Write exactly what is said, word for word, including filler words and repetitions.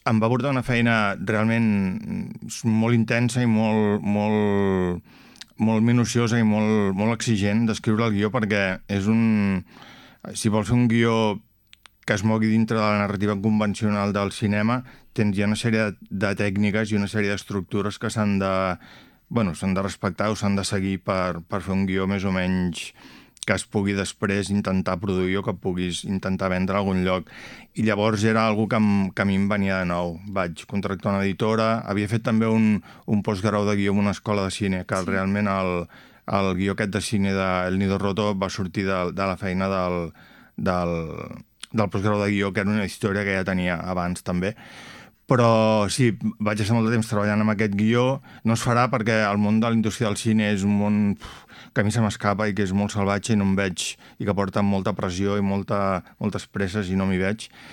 em va portar una feina realment molt intensa i molt, molt, molt minuciosa i molt, molt exigent d'escriure el guió, perquè és un... Si vols fer un guió que es mogui dintre de la narrativa convencional del cinema, tens ja una sèrie de, de tècniques i una sèrie d'estructures que s'han de, bueno, s'han de respectar o s'han de seguir per, per fer un guió més o menys que es pugui després intentar produir o que puguis intentar vendre a algun lloc. I llavors era algo que, em, que a mi em venia de nou. Vaig contractar una editora, havia fet també un, un postgrau de guió en una escola de cine, que sí. realment el, el guió aquest de cine de El Nido Roto va sortir de, de la feina del, del, del postgrau de guió, que era una història que ja tenia abans també. Però sí, vaig estar molt de temps treballant amb aquest guió. No es farà perquè el món de la indústria del cine és un món que a mi se m'escapa i que és molt salvatge i no em veig, i que porta molta pressió i molta, moltes presses i no m'hi veig.